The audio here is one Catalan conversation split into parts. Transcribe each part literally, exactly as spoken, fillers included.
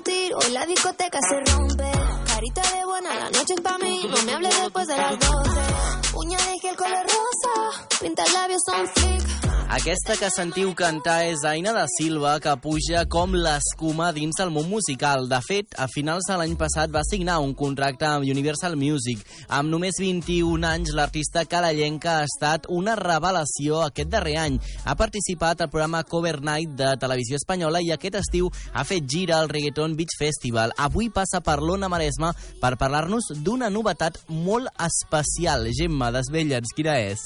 discutir, hoy la discoteca se rompe. Carita de buena, la noche es pa' mí, no me hables después de las doce. Uña de gel color rosa, pinta el labio son flick. Aquesta que sentiu cantar és Aina da Silva, que puja com l'escuma dins el món musical. De fet, a finals de l'any passat va signar un contracte amb Universal Music. Amb només vint-i-un anys, l'artista calellenca ha estat una revelació aquest darrer any. Ha participat al programa Cover Night de Televisió Espanyola i aquest estiu ha fet gira al Reggaeton Beach Festival. Avui passa per l'Ona Maresma per parlar-nos d'una novetat molt especial. Gemma, desvetlla'ns, quina és?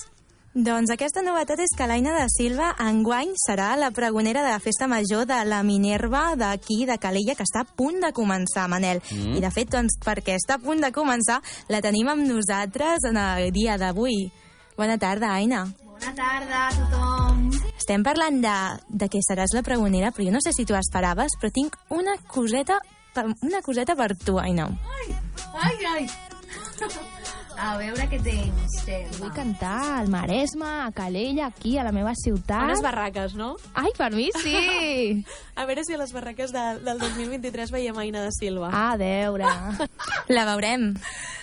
Doncs aquesta novetat és que l'Aina da Silva enguany serà la pregonera de la festa major de la Minerva d'aquí, de Calella, que està a punt de començar, Manel. Mm. I de fet, doncs, perquè està a punt de començar, la tenim amb nosaltres en el dia d'avui. Bona tarda, Aina. Bona tarda a tothom. Estem parlant de, de que seràs la pregonera, però jo no sé si tu esperaves, però tinc una coseta, una coseta per tu, Aina. Ai, ai, ai. A veure què tens, Gemma. Vull cantar al Maresme, a Calella, aquí, a la meva ciutat. A les barraques, no? Ai, per mi sí! A veure si a les barraques de, del dos mil vint-i-tres veiem Aina da Silva. A veure. La veurem.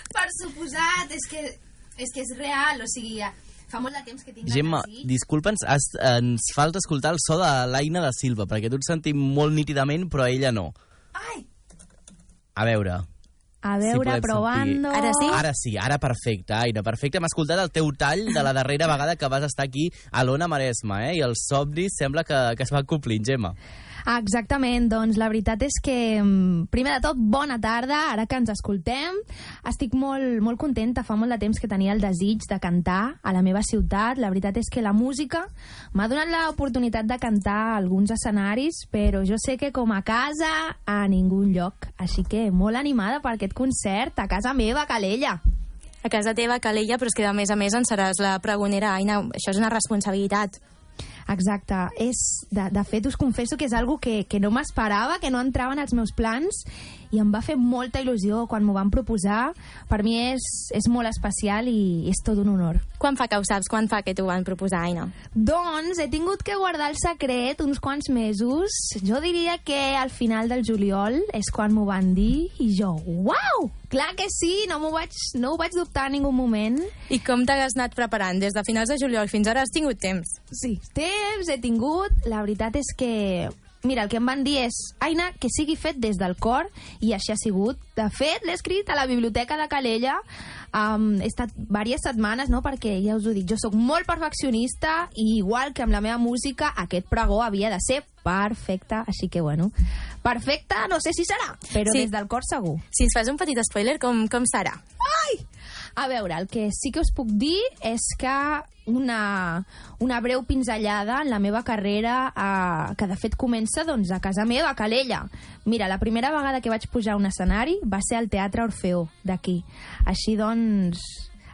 Per suposat, és que és, que és real, o sigui, fa molt de temps que tinc Gemma, ganes. disculpa'ns, has, ens falta escoltar el so de l'Aina da Silva, perquè tu et sentim molt nítidament, però ella no. Ai! A veure... A veure, si probando... Ara sí? Ara sí, ara perfecte, Aina, perfecte. Hem escoltat el teu tall de la darrera vegada que vas estar aquí a l'Ona Maresma, eh? I els somnis sembla que, que es van complint, Gemma. Exactament, doncs la veritat és que, primer de tot, bona tarda, ara que ens escoltem. Estic molt, molt contenta, fa molt de temps que tenia el desig de cantar a la meva ciutat. La veritat és que la música m'ha donat l'oportunitat de cantar a alguns escenaris, però jo sé que com a casa, a ningú lloc. Així que molt animada per aquest concert a casa meva, a Calella. A casa teva, Calella, però és que a més a més en seràs la pregonera, Aina. Això és una responsabilitat. Exacte. És, de, de fet, us confesso que és algo que, que no m'esperava, que no entrava en els meus plans i em va fer molta il·lusió quan m'ho van proposar. Per mi és, és molt especial i és tot un honor. Quan fa que ho saps? Quan fa que t'ho van proposar, Aina? Doncs he tingut que guardar el secret uns quants mesos. Jo diria que al final del juliol és quan m'ho van dir i jo, uau! Clar que sí, no, m'ho vaig, no ho vaig dubtar en ningú moment. I com t'has anat preparant? Des de finals de juliol fins ara has tingut temps? Sí, temps he tingut. La veritat és que... Mira, el que em van dir és, Aina, que sigui fet des del cor, i així ha sigut. De fet, l'he escrit a la biblioteca de Calella. Um, he estat diverses setmanes, no?, perquè, ja us ho dic, jo sóc molt perfeccionista i igual que amb la meva música, aquest pregó havia de ser perfecte. Així que, bueno, perfecte no sé si serà, però sí, des del cor segur. Si ens fas un petit spoiler, com, com serà? Ai! A veure, el que sí que us puc dir és que una, una breu pinzellada en la meva carrera, eh, que de fet comença doncs, a casa meva, a Calella. Mira, la primera vegada que vaig pujar a un escenari va ser al Teatre Orfeó, d'aquí. Així doncs...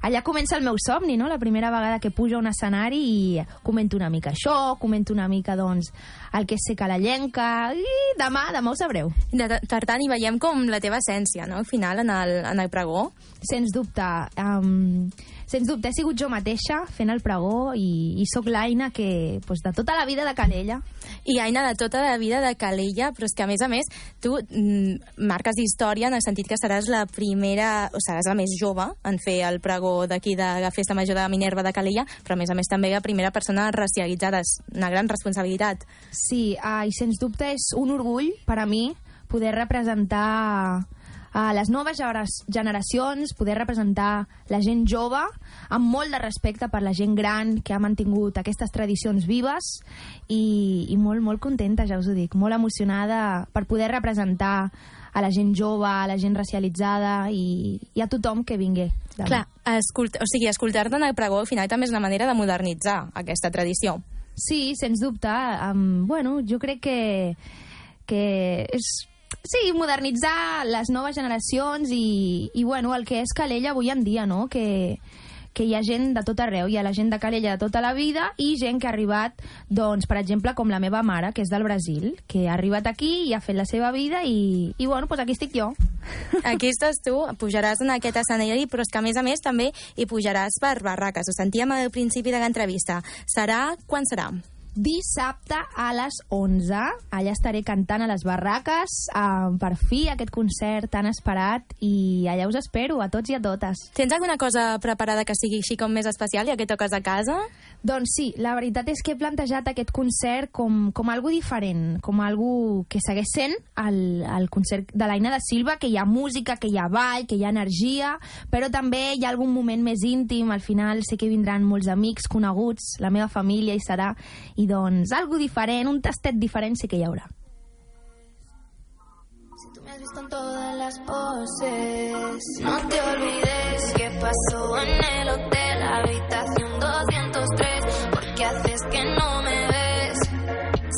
Allà comença el meu somni, no? La primera vegada que pujo a un escenari i comento una mica això, comento una mica, doncs, el que és ser calellenca, i demà, demà ho sabreu. De, per tant, hi veiem com la teva essència, no?, al final, en el, en el pregó. Sens dubte. Um, sens dubte, he sigut jo mateixa fent el pregó i, i sóc l'Aina que, pues, de tota la vida de Calella. I Aina, de tota la vida de Calella, però és que, a més a més, tu mm, marques història en el sentit que seràs la primera, o seràs la més jove en fer el pregó d'aquí de la Festa Major de Minerva de Calella, però a més a més també la primera persona racialitzada. És una gran responsabilitat. Sí, uh, i sens dubte és un orgull per a mi poder representar a les noves generacions, poder representar la gent jove amb molt de respecte per la gent gran que ha mantingut aquestes tradicions vives i, i molt, molt contenta, ja us ho dic, molt emocionada per poder representar a la gent jove, a la gent racialitzada i, i a tothom que vingui. Demà. Clar, escolta, o sigui, escoltar-te en el pregó al final també és una manera de modernitzar aquesta tradició. Sí, sens dubte. Um, bueno, jo crec que, que és... Sí, modernitzar les noves generacions i, i bueno, el que és Calella avui en dia, no? Que, que hi ha gent de tot arreu, hi ha la gent de Calella de tota la vida i gent que ha arribat, doncs, per exemple, com la meva mare, que és del Brasil, que ha arribat aquí i ha fet la seva vida i, i bueno, doncs aquí estic jo. Aquí estàs tu, pujaràs en aquest escenari, però és que a més a més també hi pujaràs per barraques. Ho sentíem al principi de l'entrevista. Serà... Quan serà? dissabte a les onze. Allà estaré cantant a les barraques, eh, per fi aquest concert tan esperat, i allà us espero a tots i a totes. Tens alguna cosa preparada que sigui així com més especial, ja que toques a casa? Doncs sí, la veritat és que he plantejat aquest concert com, com algo diferent, com algo que segueix sent el, el concert de l'Aina da Silva, que hi ha música, que hi ha ball, que hi ha energia, però també hi ha algun moment més íntim. Al final sé que vindran molts amics coneguts, la meva família hi serà, i doncs algo diferent, un tastet diferent sí que hi haurà. Si tú me has visto en todas las poses, no te olvides que pasó en el hotel, habitación doscientos tres, porque haces que no me ves.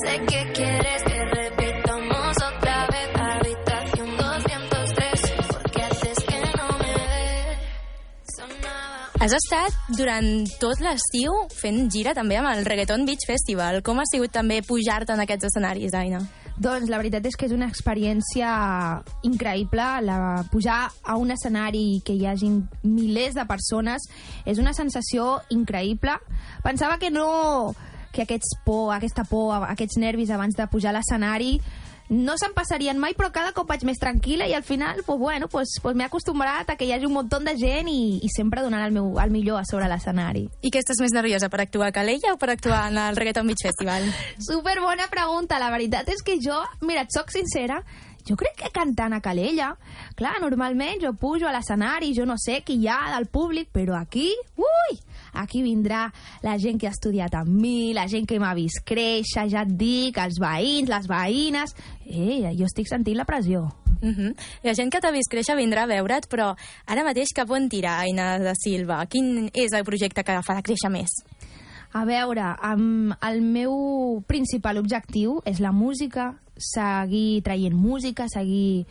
Sé que quieres que repitamos otra vez, habitación doscientos tres, porque haces que no me ves. Sonaba... Has estat durant tot l'estiu fent gira també amb el Reggaeton Beach Festival. Com ha sigut també pujar-te en aquests escenaris, Aina? Doncs la veritat és que és una experiència increïble. La, pujar a un escenari que hi hagi milers de persones és una sensació increïble. Pensava que no, que aquests por, aquesta por, aquests nervis abans de pujar a l'escenari no se'n passarien mai, però cada cop vaig més tranquil·la i al final pues, bueno, pues, pues m'he acostumbrat a que hi hagi un munt de gent i, i sempre donant el, meu, el millor a sobre l'escenari. I què estàs més nerviosa, per actuar a Calella o per actuar en el Reggaeton Beach Festival? Super bona pregunta. La veritat és que jo, mira, et soc sincera, jo crec que cantant a Calella, clar, normalment jo pujo a l'escenari, jo no sé qui hi ha del públic, però aquí, ui, aquí vindrà la gent que ha estudiat amb mi, la gent que m'ha vist créixer, ja et dic, els veïns, les veïnes... Eh, jo estic sentint la pressió. Uh-huh. La gent que t'ha vist créixer vindrà a veure't, però ara mateix cap on tira, Aina da Silva? Quin és el projecte que fa créixer més? A veure, um, el meu principal objectiu és la música, seguir traient música, seguir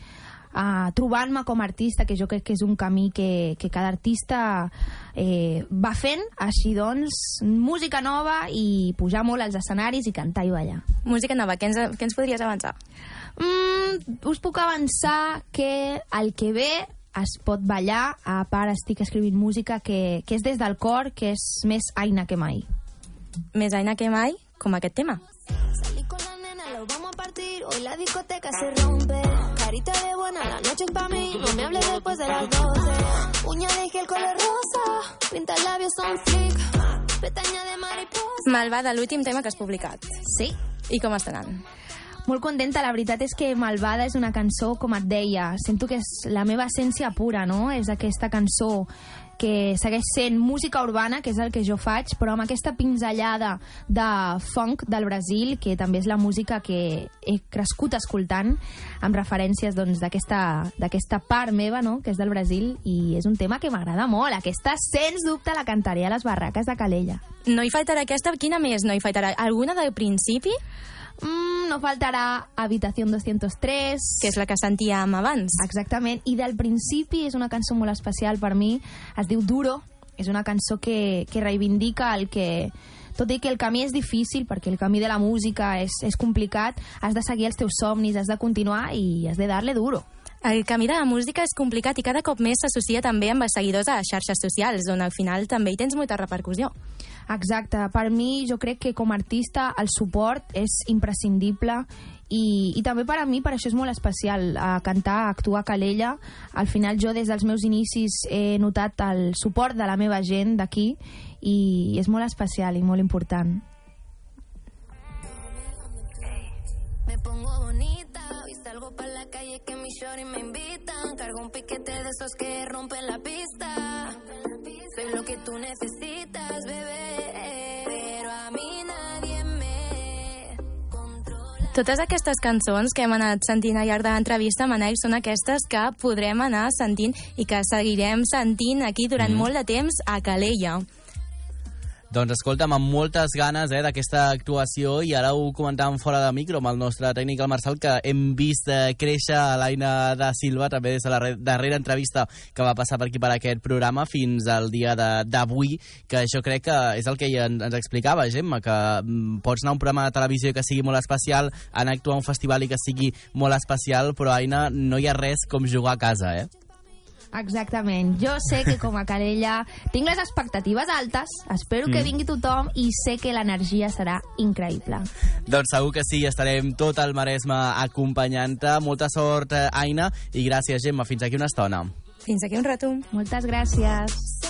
uh, trobant-me com a artista, que jo crec que és un camí que, que cada artista eh, va fent. Així doncs, música nova i pujar molt als escenaris i cantar i ballar. Música nova, què ens, què ens podries avançar? Mm, us puc avançar que el que ve es pot ballar. A part estic escrivint música que, que és des del cor, que és més Aina que mai. Més Aina que mai, com aquest tema. Salí con la nena, lo vamos a partir. Hoy la discoteca se rompe. Carita de buena, la noche es pa' mí. No me hables después de las doce. Uña de gel color rosa. Pinta labios son flick. Pestaña de mariposa. Malvada, l'últim tema que has publicat. Sí. I com està anant? Molt contenta. La veritat és que Malvada és una cançó, com et deia, sento que és la meva essència pura, no? És aquesta cançó que segueix sent música urbana, que és el que jo faig, però amb aquesta pinzellada de funk del Brasil, que també és la música que he crescut escoltant, amb referències doncs, d'aquesta d'aquesta part meva, no?, que és del Brasil, i és un tema que m'agrada molt. Aquesta, sens dubte, la cantaré a les barraques de Calella. No hi faltarà aquesta, quina més no hi faltarà? Alguna del principi? Mm, no faltarà Habitación doscientos tres, que és la que sentíem abans. Exactament, i del principi és una cançó molt especial per mi, es diu Duro, és una cançó que, que reivindica el que, tot i que el camí és difícil, perquè el camí de la música és, és complicat, has de seguir els teus somnis, has de continuar i has de darle duro. El camí de la música és complicat i cada cop més s'associa també amb els seguidors a les xarxes socials, on al final també hi tens molta repercussió. Exacte. Per mi, jo crec que com a artista el suport és imprescindible i, i també per a mi, per això és molt especial a cantar, a actuar a Calella. Al final jo des dels meus inicis he notat el suport de la meva gent d'aquí i és molt especial i molt important. Me pongo bonita, hoy salgo pa' la calle que mi shorty me invitan. Cargo un piquete de esos que rompen la pista. Soy lo que tú necesitas, bebé, pero a mí nadie me controla. Totes aquestes cançons que hem anat sentint al llarg de l'entrevista, Manel, són aquestes que podrem anar sentint i que seguirem sentint aquí durant mm. molt de temps a Calella. Doncs escolta'm, amb moltes ganes eh, d'aquesta actuació, i ara ho comentàvem fora de micro amb el nostre tècnic, el Marçal, que hem vist eh, créixer a l'Aina da Silva també des de la darrera entrevista que va passar per aquí per aquest programa fins al dia d'avui, que això crec que és el que ens explicava, Gemma, que mm, pots anar a un programa de televisió que sigui molt especial, anar a actuar a un festival i que sigui molt especial, però, Aina, no hi ha res com jugar a casa, eh? Exactament. Jo sé que com a Calella tinc les expectatives altes, espero que vingui tothom i sé que l'energia serà increïble. Doncs segur que sí, estarem tot el Maresme acompanyant-te. Molta sort, Aina, i gràcies, Gemma. Fins aquí una estona. Fins aquí un rato. Moltes gràcies.